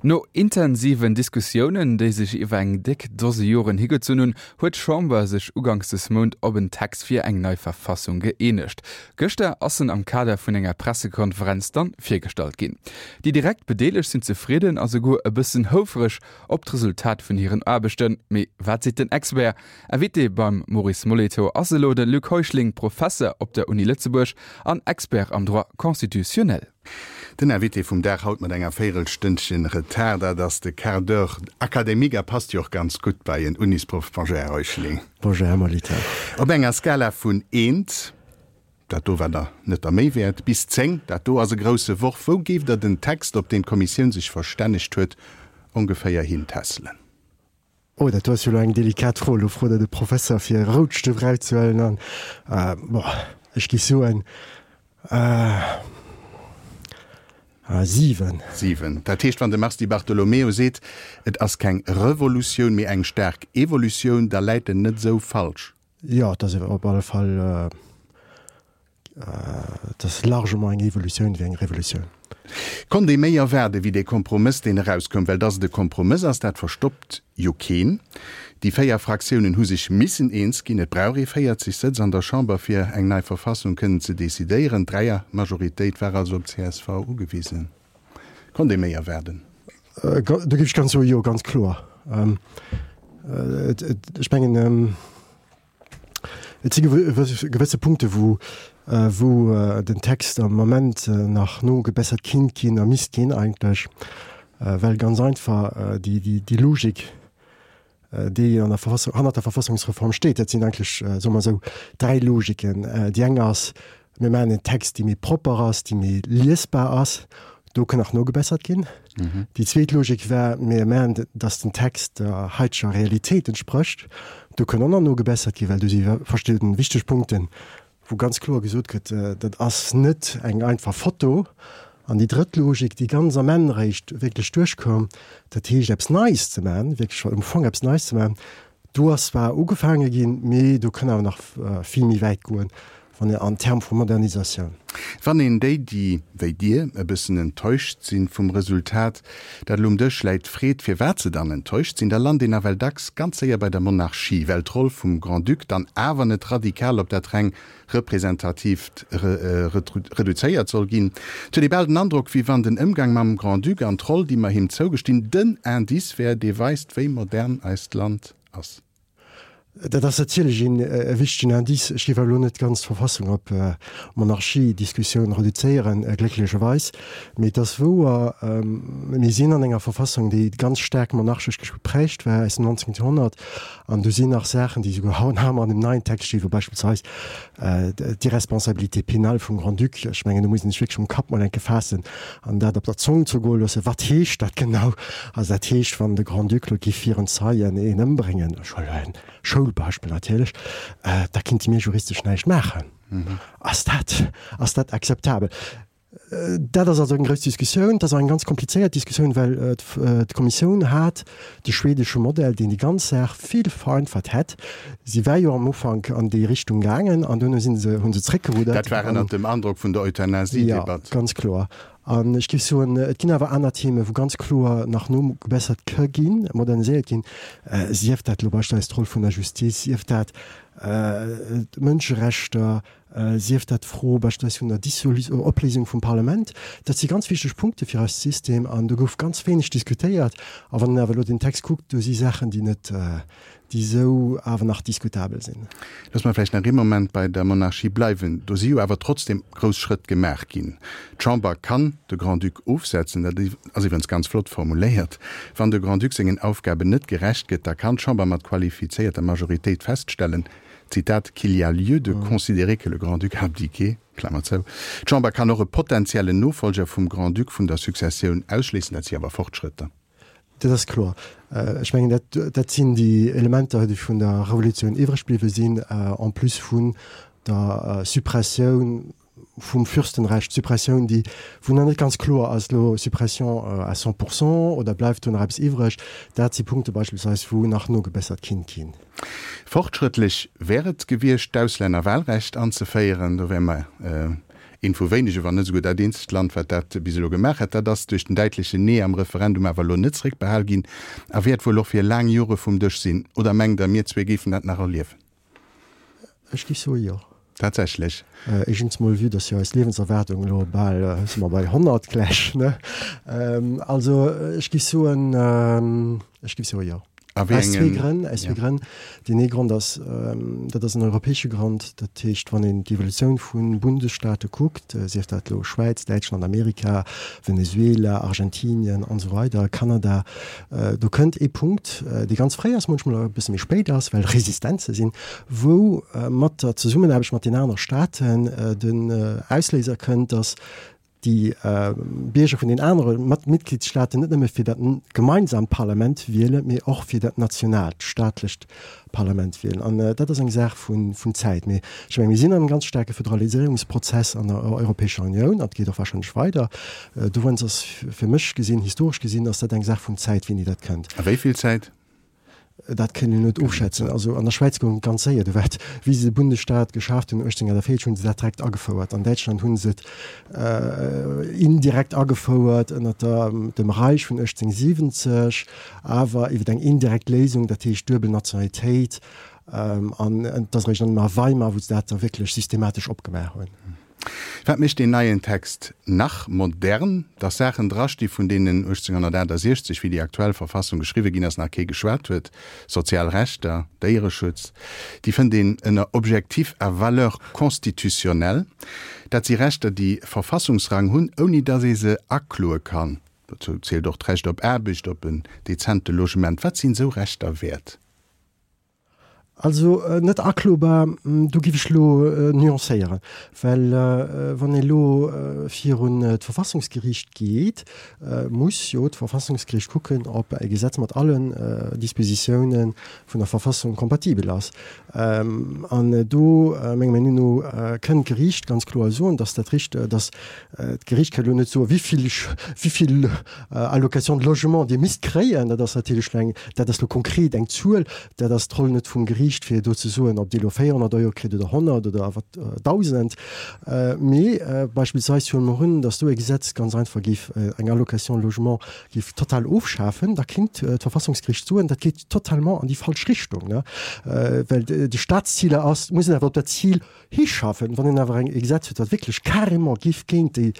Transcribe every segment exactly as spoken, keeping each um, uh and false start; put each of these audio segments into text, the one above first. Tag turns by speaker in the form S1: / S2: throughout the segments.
S1: No intensiven Diskussiounen, déi sech iwwer eng déck Dose Joren higezunn hunn, huet d'Chamber sech uganks des Mount op en Text fir eng nei Verfassung gëeenegt. Gëschter ass en am Kader vun enger Pressekonferenz dann virgestallt ginn. Déi direkt Bedeelegt sinn zefridden a souguer e bëssen houfreg op d'Resultat vun hiren Aarbechten. Mee wat seet den Expert? Invité beim Maurice Molitor ass elo de Luc Heuschling, Professer op der Uni Lëtzebuerg an Expert am Droit constitutionnel.
S2: Den Invité vum Dag haut mat enger Véirelstënnchen Retard, dat ass de Quart d'heure académique a passt jo och ganz gutt bei en Unisproff. Bonjour, Här Heuschling.
S3: Bonjour, Här Molitor.
S2: Op enger Skala vun eent, dat do war der net der Méi wäert, bis zéng, dat do ass e grousse Worf, wou géift Der den Text, op deen d'Kommissioun sech verstännegt huet, ongeféier hintässelen?
S3: Oh, dat do ass jo elo eng delikat Fro. Elo frot Der de Professer, fir e Routstëft erauszehuelen an, bon, ech géif soen, siwen.
S2: Siwen. Dat heescht, wann de Mars Di Bartolomeo seet, et ass keng Revolutioun, mee eng staark Evolutioun, da läit en net esou falsch.
S3: Jo, et ass op alle Fall, et ass largement eng Evolutioun wéi eng Revolutioun.
S2: Konnt ee méi erwaarde wéi dee Kompromëss, deen erauskoum? Well dass et e Kompromëss ass, dat verstoppt jo keen. Déi véier Fraktiounen hu sech missen eens ginn. Et brauch ee véierzeg Sëtz an der Chamber, fir eng nei Verfassung kënnen ze decidéieren. D'Dräiermajoritéit war also op csv ugewisen. Konnt ee méi erwaarden?
S3: Do géif ech ganz soe jo, ganz kloer. Ech mengen, Et si gewësse Punkte wou wou den Text am Moment nach nogebessert kinnt ginn a misst ginn eigentlech, well ganz einfach déi déi Logik, déi an der Verfassung, hannert der Verfassungsreform steet, dat sinn eigentlech, soe mer esou, dräi Logiken. Déi eng ass, mir maachen en Text, dee méi propper ass, dee méi liesbar ass. Do kann nach nogebessert ginn. Déi zweet Logik war, mir maachen, datt den Text der haiteger Realitéit entsprécht. Do kann och nach nogebessert ginn, well do si verschidden wichteg Punkten, wou ganz kloer gesot gëtt, dat ass net eng einfach Foto. An déi drëtt Logik, déi ganz am Enn eréischt wierklech duerchkoum, dat heescht eppes Neies ze maachen, wierklech am Fong eppes Neies ze maachen, do ass zwar ugefaange ginn, mee do kann awer nach vill méi wäit goen. Wann een an Terme vu Modernisatioun.
S2: Wann een déi, déi wéi Dir e bëssen enttäuscht sinn vum Resultat, dat elo um Dësch läit, freet, firwat se dann enttäuscht sinn, da lant een nawell dacks ganz séier bei der Monarchie, well d'Roll vum Grand-Duc dann awer net radikal op dat reng Representatiivt reduzéiert soll ginn. Et huet ee bal den Androck, wéi wann den Ëmgang mam Grand-Duc an d'Roll, déi mer him zougestinn, den Indice wär, dee weist, wéi modern eist Land ass.
S3: Dat ass natierlech een e wichtegen Indice. Ech géif awer elo net d'ganz Verfassung op Monarchie-Diskussioun reduzéieren, glécklecherweis. Mee et ass wouer, mir sinn an enger Verfassung, déi ganz staark monarchesch geprägt war aus dem neunzehnten Joerhonnert. An do sinn nach Saachen, déi souguer haut nach ëmmer an dem neien Text stinn, wou beispillsweis d'Irresponsabilité pénale vum Grand-Duc, ech mengen, do muss een sech wierklech um Kapp mol enke faassen an dat op der Zong zergoe loossen, Wat heescht dat genau? Also dat heescht, wann de Grand-Duc elo géif virun Zeien een ëmbréngen, ech huelen elo en Schoulbeispill natierlech, da kinnte mir juristesch näischt maachen. Ass dat, ass dat akzeptabel? Dat ass also eng grouss Diskussioun. Dat ass och eng ganz komplizéiert Diskussioun, well d'Kommissioun hat de schwedesche Modell, deen déi ganz Saach vill vereinfacht hätt. Si war jo am Ufank an déi Richtung gaangen an duerno si se, hu se zréckgeruddert.
S2: Dat war ënnert dem Androck vun der Euthanasie-Debatt.
S3: Jo, ganz kloer. An ech géif soen, et ginn awer aner Themen, wou ganz kloer nach nogebessert ka ginn, moderniséiert ginn, sief dat elo beispillsweis d'Roll vun der Justiz, sief dat d'Mënscherechter, sief dat d'Fro beispillsweis vun der Dissolu-, Opléisung vum Parlament. Dat si ganz wichteg Punkte fir eist System an do gouf ganz wéineg diskutéiert. A wann een awer elo den Text kuckt, do si Saachen, déi net, déi esou awer nach diskutabel sinn.
S2: Loosse mer vläicht nach ee Moment bei der Monarchie bleiwen. Do si jo awer trotzdem grouss Schrëtt gemaach ginn. D'Chamber kann de Grand-Duc ofsetzen. Dat ass iwwerens ganz flott formuléiert. Wann de Grand-Duc sengen Aufgaben net gerecht gëtt, da kann d'Chamber mat qualifizéierter Majoritéit feststellen, Zitat, qu'il y a lieu de considérer que le Grand-Duc a abdiqué, Klammer zou. D'Chamber kann och e potentiellen Nofolger vum Grand-Duc vun der Successioun ausschléissen. Dat si awer Fortschrëtter.
S3: Dat ass kloer. Ech mengen, dat, dat sinn déi Elementer, déi vun der Revolutioun iwwreg bliwwe sinn, en plus vun der Suppressioun vum Fürstenrecht, Suppressioun, déi, wou nach net ganz kloer ass elo, Suppression à cent pour cent oder bleift do nach eppes iwwreg. Dat si Punkte beispillsweis, wou nach nogebessert kinnt ginn.
S2: Fortschrëttlech wär et gewiescht, d'Auslännerwahlrecht anzeféieren. Do wäre mer Eent vu wéinege, wann net esouguer dat eenzegt Land, wat dat bis elo gemaach hätt. Dat ass duerch den däitlechen Nee am Referendum awer elo net zréckbehal ginn a wäert wuel och fir laang Jore vum Dësch sinn. Oder mengt Der, mir zwee géifen dat nach erliewen?
S3: Ech géif soe jo.
S2: Tatsächlech?
S3: Éischtens mol, vue dass jo eis Liewenserwaardung elo bal, si mer bei honnert gläich, ne? Also ech géif soen, ech géif soe jo.
S2: A wéi
S3: Aus zwee
S2: engen,
S3: Grënn, aus zwee
S2: ja.
S3: Grënn. Deen ee Grond ass, dat ass en europäesche Grond, dat heescht, wann een d'Evolutioun vu Bundesstaate kuckt, sief dat elo Schwäiz, Däitschland, Amerika, Venezuela, Argentinien an esou weider, Kanada, do kënnt ee Punkt, dee ganz fréi ass, munchmol e bësse méi spéit ass, well Resistenze sinn, wou mat der Zesummenaarbecht mat den anere Staaten den Ausléiser kënnt, datt déi Bierger vun den anere Mitgliedsstaaten net nëmme fir dat gemeinsamt Parlament wielen, mee och fir dat nationaalt, staatlecht Parlament wielen. An dat ass eng Saach vun Zäit. Mee ech mengen, mir sinn an engem ganz staarke Föderaliséierungsprozess an der Europäescher Unioun, an et geet och wahrscheinlech weider. Dowéinst ass fir mech gesinn, historesch gesinn, ass dat eng Saach vun Zäit, wéini dat kënnt.
S2: A wéi vill Zäit?
S3: Dat kënnt een net ofschätzen. Also an der Schwäiz goung et ganz séier. Do war et, wéi se de Bundesstaat geschaaft hunn, uechtzénhunnertvéierzeg, hu se dat direkt agefouert. An Däitschland hu se et indirekt agefouert ënner der, dem Reich vun uechtzénhunnertsiwwenzeg, awer iwwer eng indirekt Léisung, dat heescht duebel Nationalitéit. An et ass eréischt an Weimar, wou se dat da wierklech systematesch opgemaach hunn.
S2: Wat mécht deen neien Text nach modern? Dass Saachen drasti vun deenen uechtzénhunnertaachtasechzeg, wéi déi aktuell Verfassung geschriwwe ginn ass, nach kee geschwat huet, sozial Rechter, Déiereschutz, déi fënnt een ënner Objectifs à valeur constitutionnelle. Dat si Rechter, déi Verfassungsrang hunn, ouni dass ee se akloe kann. Dozou zielt och d'Recht op Aarbecht, op en dezente Logement. Wat sinn esou Rechter wäert?
S3: Also net aklobar, do giff ech elo nuancéieren, well wann ee elo virun d'Verfassungsgeriicht geet, muss jo d'Verfassungsgeriicht kucken, ob e Gesetz mat allen Dispositiounen vun der Verfassung kompatibel ass. An do, menger Meenung no, kënnt d'Geriicht ganz kloer soen, dass dat richt, dass d'Geriicht ka elo net soen, wéi vill, wéi vill Allocation de logement Dir misst kréien. Dat ass natierlech elo eng, dat ass elo konkret eng Zuel, dat ass d'Roll net vum Geriicht. Geriicht, fir do ze soen, ob Dir elo véierhonnert Euro kritt oder honnert oder wat dausend. Mee beispillsweis huele mer un, datt do e Gesetz ganz einfach géif eng Allocation logement géif total ofschafen, da kéint d'Verfassungsgeriicht soen, dat geet totalement an déi falsch Richtung, ne, well de Staatsziler ass, muss een awer op dat Zil hischaffen. Wann een awer eng e Gesetz huet, wat wierklech carrément géif géint déi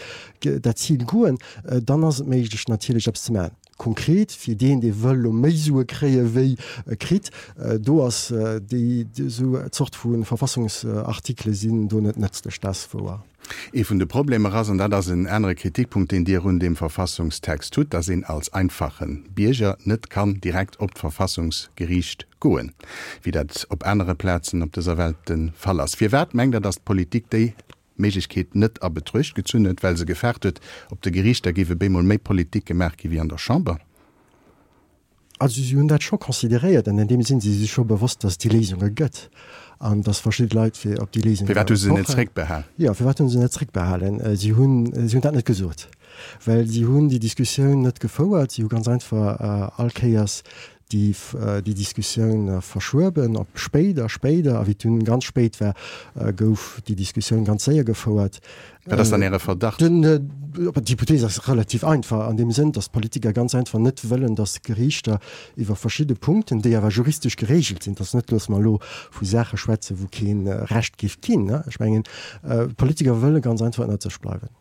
S3: dat Zil goen, dann ass et méiglech natierlech eppes ze maachen. Konkret fir deen, dee wëll elo méi Sue kréie wéi e kritt, do ass déi esou Zort vu Verfassungsartikele sinn do net nëtzlech, dat ass wouer.
S2: Ee vun de Problemer ass, an dat ass en anere Kritikpunkt, deen Dir un deem Verfassungstext hutt, datt een als einfache Bierger net kann direkt op d'Verfassungsgeriicht goen, wéi dat op anere Plazen op dëser Welt de Fall ass. Firwat mengt Der, datt d'Politik déi Méiglechkeet net a Betruecht gezunn huet, well se gefaart huet, op de Geriichter géif e bémol méi Politik gemaach gi wéi an der Chamber.
S3: Also si hunn dat scho consideréiert an an deem Sinn si sech scho bewosst, datt et déi Léisunge gëtt an datt verschidde Leit fir op déi Léisunge
S2: Firwat hu se net
S3: pochen.
S2: zréckbehal?
S3: Jo, firwat hu se net zréckbehalen? Si hunn, si hunn dat net gesot, well si hunn déi Diskussioun net gefouert. Si hu ganz einfach all Kéiers déi déi Diskussioun verschueben op spéider, spéider, a wéi et dunn ganz spéit war, gouf déi Diskussioun ganz séier gefouert.
S2: Wat ass dann Äre Verdacht?
S3: Den, d'Hypothees ass relativ einfach an deem Sënn, datt d'Politiker ganz einfach net wëllen, datt d'Geriichter iwwer verschidde Punkten, déi awer juristesch geregelt sinn, datt net, loosse mer elo vu Saache schwätzen, wou kee Recht géif ginn, ech mengen, d'Politiker wëlle ganz einfach ënnert sech bleiwen.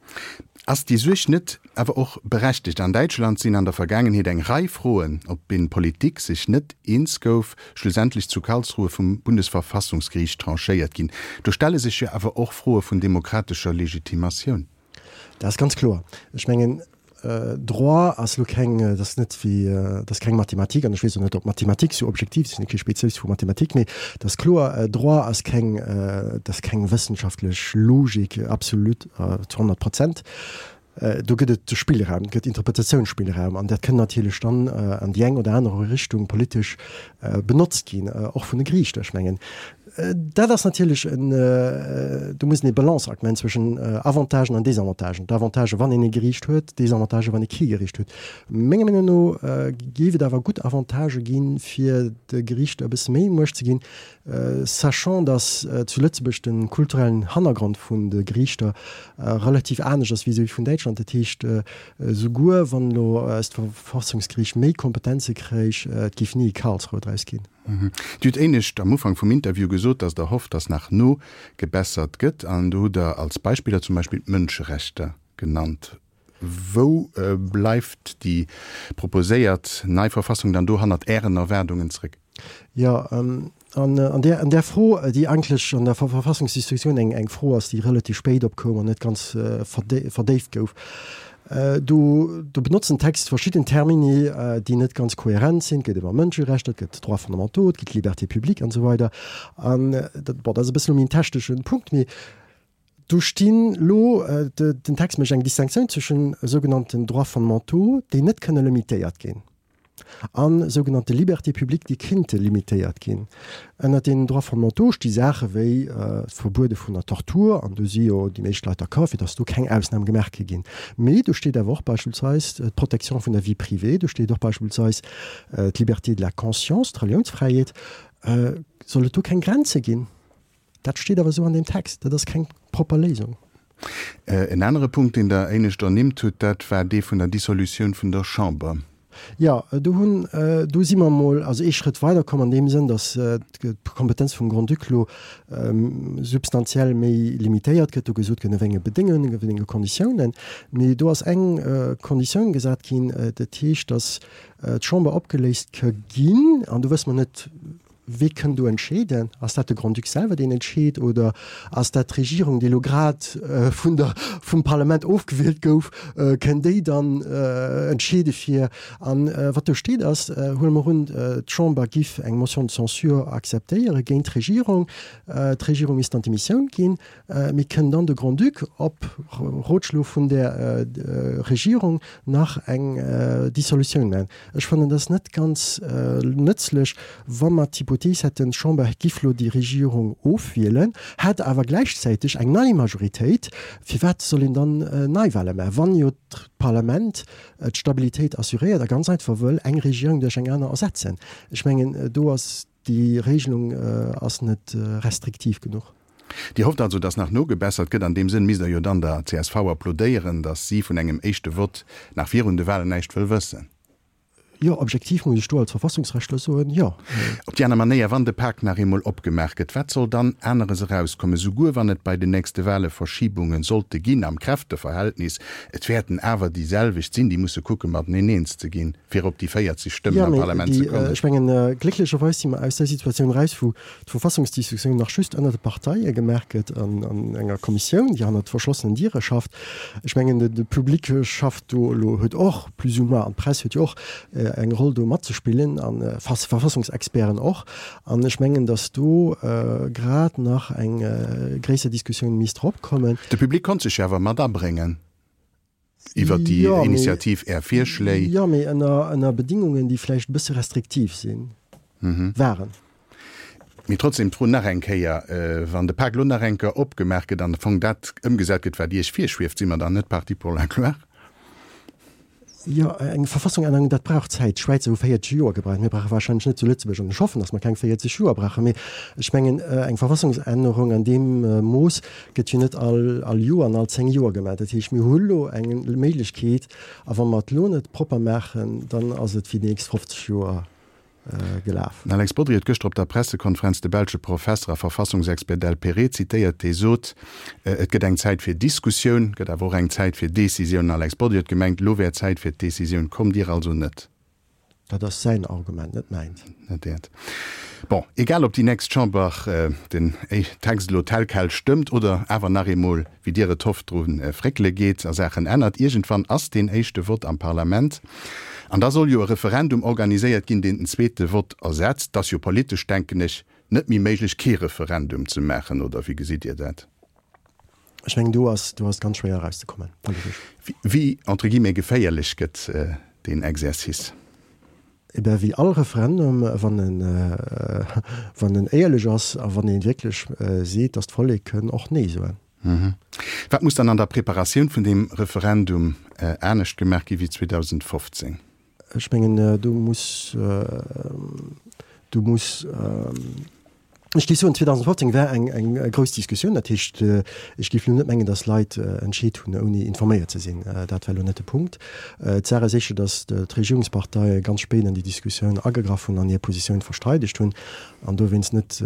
S2: Ass déi Suerg net awer och berechtegt? An Däitschland sinn an der Vergaangenheet eng Rei Froen, op deenen d'Politik sech net eens gouf, schlussendlech zu Karlsruhe vum Bundesverfassungsgeriicht tranchéiert ginn. Do stelle sech jo awer och Froe vun demokratescher Legitimatioun.
S3: Dat ass ganz kloer. Ech mengen, Droit ass elo keng, dat ass net wéi, dat ass keng Mathematik an ech weess och net, ob Mathematik sou objektiv ass, ech sinn kee Spezialist vu Mathematik, mee dat ass kloer, Droit ass keng, dat ass keng wëssenschaftlech Logik, absolut, zu honnert Prozent. Do gëtt et Spillraum, et gëtt Interpretatiounsspillraum an dat kënn natierlech dann an déi eng oder aner Richtung politesch benotzt ginn, och vun de Geriichter. Ech mengen, dat ass natierlech en, do muss een e Balanceakt maachen zwëschen Avantagen an Desavantagen. D'Avantagen, wann een e Geriicht huet, d'Desavantagen, wann ee kee Geriicht huet. Menger Meenung no géif et awer gutt Avantagë ginn, fir de Geriichter e bësse méi Muecht ze ginn, sachant dass zu Lëtzebuerg de kulturellen Hannergrond vun de Geriichter relativ anescht ass vis-à-vis vun Däitschland. Dat heescht, souguer wann elo eist Verfassungsgeriicht méi Kompetenze kréich, et géif ni e Karlsruhe draus ginn.
S2: Dir hutt éinescht am Ufank vum Interview gesot, dass Der hofft, dass nach nogebessert gëtt. An do hutt Der als Beispiller zum Beispill d'Mënscherechter genannt. Wou bleift déi proposéiert nei Verfassung dann do hannert Ären Erwaardungen zréck?
S3: Jo, an an där, an där Fro, déi eigentlech an der Verfassungsdiskussioun eng, eng Fro ass, déi relativ spéit opkoum an net ganz verdéift gouf, do, do benotzt den Text verschidden Termini, déi net ganz kohärent sinn. Et gëtt iwwer Mënscherechter, et gëtt Droits fondamentaux, et gëtt Libertés publiques an esou weider. An dat, bon, dat ass e bëssen elo méi en techneschen Punkt, mee do stinn elo, den Text mécht eng Distinctioun zwëschen sougenannten Droits fondamentaux, déi net kënne limitéiert ginn, a sougenannte Libertés publiques, déi kinnte limitéiert ginn. Ënnert deenen Droits fondamentaux sti Saache wéi d'Verbuede vun der Tortur, an do si jo déi meescht Leit d'accord, fir datt do keng Ausnam gemaach ka ginn. Mee do steet awer och beispillsweis d'Protection vun der Vie privée, do steet och beispillsweis d'Liberté de la conscience, d'Reliounsfräiheet. Soll et do keng Grenze ginn? Dat steet awer esou an deem Text. Dat ass keng propper Léisung.
S2: En anere Punkt, deen Der éinescht ernimmt hutt, dat war dee vun der Dissolutioun vun der Chamber.
S3: Jo, do hunn, do si mer emol also ee Schrëtt weiderkomm an deem Sënn, datt d'Kompetenz vum Grand-Duc elo substantiell méi limitéiert gëtt. Do gesot gëtt, ënner wéi enge Bedéngungen, ënner wéi enge Konditiounen. Mee do ass eng Konditioun gesat ginn, dat heescht, datt d'Chamber opgeléist ka ginn, an do wësse mer net, Wee kënn do entscheeden? Ass dat de Grand-Duc selwer, deen entscheet, oder ass dat d'Regierung, déi elo grad vun der, vum Parlament ofgewielt gouf, kënn déi dann entscheede fir? An wat do steet ass, huele mer un, d'Chamber giff eng Motion de censure akzeptéiere géint d'Regierung, d'Regierung misst dann d'Demissioun ginn, mee kënn dann de Grand-Duc op Rotschlo vun där Regierung nach eng Dissolutioun maachen? Ech fannen dat net ganz nëtzlech, wa mer d'Hypothees hätten, d'Chamber giff lo déi Regierung ofwielen, hätt awer gläichzäiteg eng nei Majoritéit. Firwat soll een dann Neiwahle maachen, wann jo d'Parlament d'Stabilitéit assuréiert a ganz einfach wëll eng Regierung duerch eng aner ersetzen? Ech mengen, do ass déi Regelung ass net restriktiv genuch.
S2: Dir hofft also, datt nach nogebessert gëtt. An deem Sënn misst Der jo dann der csv applaudéieren, datt si vun engem éischte Vott nach virun de Wahlen näischt wëll wëssen.
S3: Jo, objektiv muss ech do als Verfassungsrechtler soen, jo.
S2: Op déi aner Manéier, wann de Pak nach eemol opgemaach gëtt, wat soll dann aneres erauskommen, souguer wann et bei den nächste Wahle Verschibunge sollte ginn am Kräfteverhältnis? Et wäerten awer déi selwecht sinn, déi musse kucke mateneen eens ze ginn, fir op déi véierzeg Stëmmen am Parlament ze kommen.
S3: Jo, mee ech mengen, glécklecherweis si mer aus där Situatioun eraus, wou d'Verfassungsdiskussioun nach just ënner de Parteie gemaach gëtt an an enger Kommissioun, déi hannert verschlossenen Diere schafft. Ech mengen, de Public schafft do elo, huet och plus ou moins, an d'Press huet jo och eng Roll do matzespillen an Verfassungsexperten och. An ech mengen, datt do grad nach eng gréisser Diskussioun misst eropkommen.
S2: De Public konnt sech jo awer mat abréngen iwwert déi Initiativ, Är Virschléi.
S3: Jo, mee ënner Bedingungen, déi vläicht e bësse restriktiv sinn, waren.
S2: Mee trotzdem d'Fro nach eng Kéier, Wann de Pak elo nach eng Kéier opgemaach gëtt an am Fong dat ëmgesat gëtt, wat Iech virschwieft, si mer dann net parti pour la gloire?
S3: Jo, eng Verfassungännerung, dat brauch Zäit. D'Schwäizer hu véierzeg Joer gebraucht. Mir brauche wahrscheinlech net zu Lëtzebuerg, an ech hoffen, datt mer keng véierzeg Joer brauchen, mee ech mengen, eng Verfassungsännerung an deem Mooss gëtt jo net all all Joer an all zéng Joer gemaach. Dat heescht, mir hu lo eng Méiglechkeet, a wa mer et elo net propper maachen, dann ass et fir déi nächst fofzeg Joer gelaf.
S2: Den Alex Bodry huet gëschter op der Pressekonferenz de belsche Professer a Verfassungsexpert Delpérée zitéiert, dee sot, Et gëtt eng Zäit fir Diskussioun, gëtt awer och eng Zäit fir Decisioun. Den Alex Bodry huet gemengt, elo wär Zäit fir d'Decisioun. Kommt Dir also net?
S3: Dat ass säin Argument, net mäint.
S2: Net Äert. Bon, egal ob déi nächst Chamber den Text elo tel quel stëmmt oder awer nach eemol, wéi Dir et hofft, dru fréckele geet a Saachen ännert, iergendwann ass deen éischte Vott am Parlament an da soll jo e Referendum organiséiert ginn, deen den zweete Vott ersetzt. Et ass jo politesch, denken ech, net méi méiglech, kee Referendum ze maachen, oder wéi gesitt Dir dat?
S3: Ech mengen do ass do ass ganz schwéier erauszekommen,
S2: politesch. Wéi, entre guillemets, geféierlech gëtt deen Exercice?
S3: Eh ben, wéi all Referendum, wann en, wann en éierlech ass a wann ee wierklech seet, datt d'Vollek kënn och Nee soen.
S2: Wat muss dann an der Preparatioun vun deem Referendum anescht gemaach gi wéi zweedausendfofzéng?
S3: Ech mengen, do muss, do muss, ech géif soen, zweedausendfofzéng war eng, eng grouss Diskussioun. Dat heescht, ech géif elo net mengen, datt Leit entscheet hunn, ouni informéiert ze sinn. Dat war elo net de Punkt. D'Saach ass éischter, datt d'Regierungsparteie ganz spéit an déi Diskussioun agegraff hunn an hir Positioun versteidegt hunn an dowéinst net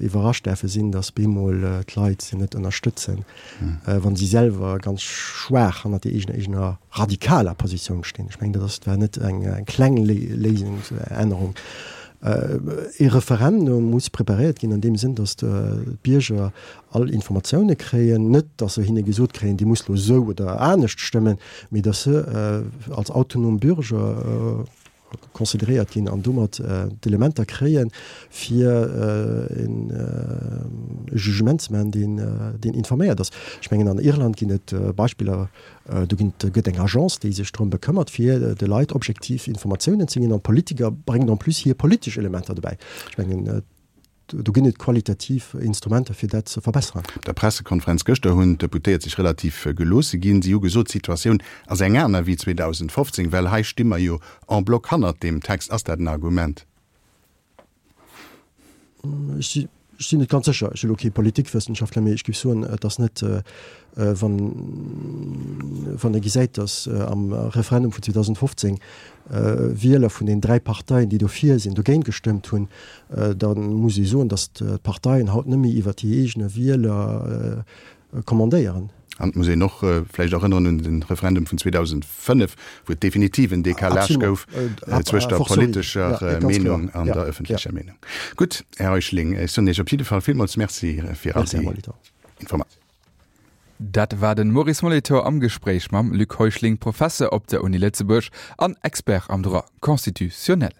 S3: iwwerrascht däerfe sinn, datt bemol d'Leit se net ënnerstëtzen, wa si selwer ganz schwaach hannert der eegener radikaler Positioun stinn. Ech mengen, dat ass, war net eng kleng Léisungsännerung. Ee Referendum muss preparéiert ginn an deem Sënn, datt d'Bierger all Informatioune kréien, net datt se hinne gesot kréien, Dir musst elo esou oder anescht stëmmen, mee datt se als autonom Bürger consideréiert ginn an domat d'Elementer kréien, fir e Jugement ze maachen, deen informéiert ass. Ech mengen, an Irland ginn et Beispiller, do ginn, gëtt eng Agence, déi sech drëm bekëmmert, fir de Leit objektiv Informatiounen ze ginn, an d'Politiker bréngen en plus hir politesch Elementer dobäi. Ech mengen, do ginn et qualitativ Instrumenter, fir dat ze verbesseren.
S2: Op der Pressekonferenz gëschter hunn d'Deputéiert sech relativ geloosse ginn. Si hu gesot, d'Situatioun ass eng aner wéi zweedausendfofzéng, well hei sti mer jo en bloc hannert deem Text. Ass dat en Argument?
S3: Ech sinn net ganz sécher. Ech si elo kee Politikwëssenschaftler, mee ech géif soen, et ass net, wann, wann ee gesäit, datt am Referendum vun zweedausendfofzéng Wieler vun den dräi Parteien, déi dofir sinn, dogéint gestëmmt hunn, da muss ee soen, datt d'Parteien haut net méi iwwert hir eegene Wieler kommandéieren.
S2: An et muss een och vläicht erënneren un de Referendum vun zweedausendfënnef, wou et definitiv en Décalage gouf zwëscht der politescher Meenung an der ëffentlecher Meenung. Gutt, Här Heuschling, ech soen Iech op jidde Fall villmools Merci fir all déi Informatiounen.
S1: Dat war den Maurice Molitor am Gespréich mam Luc Heuschling, Professer op der Uni Lëtzebuerg an Expert am Droit constitutionnel.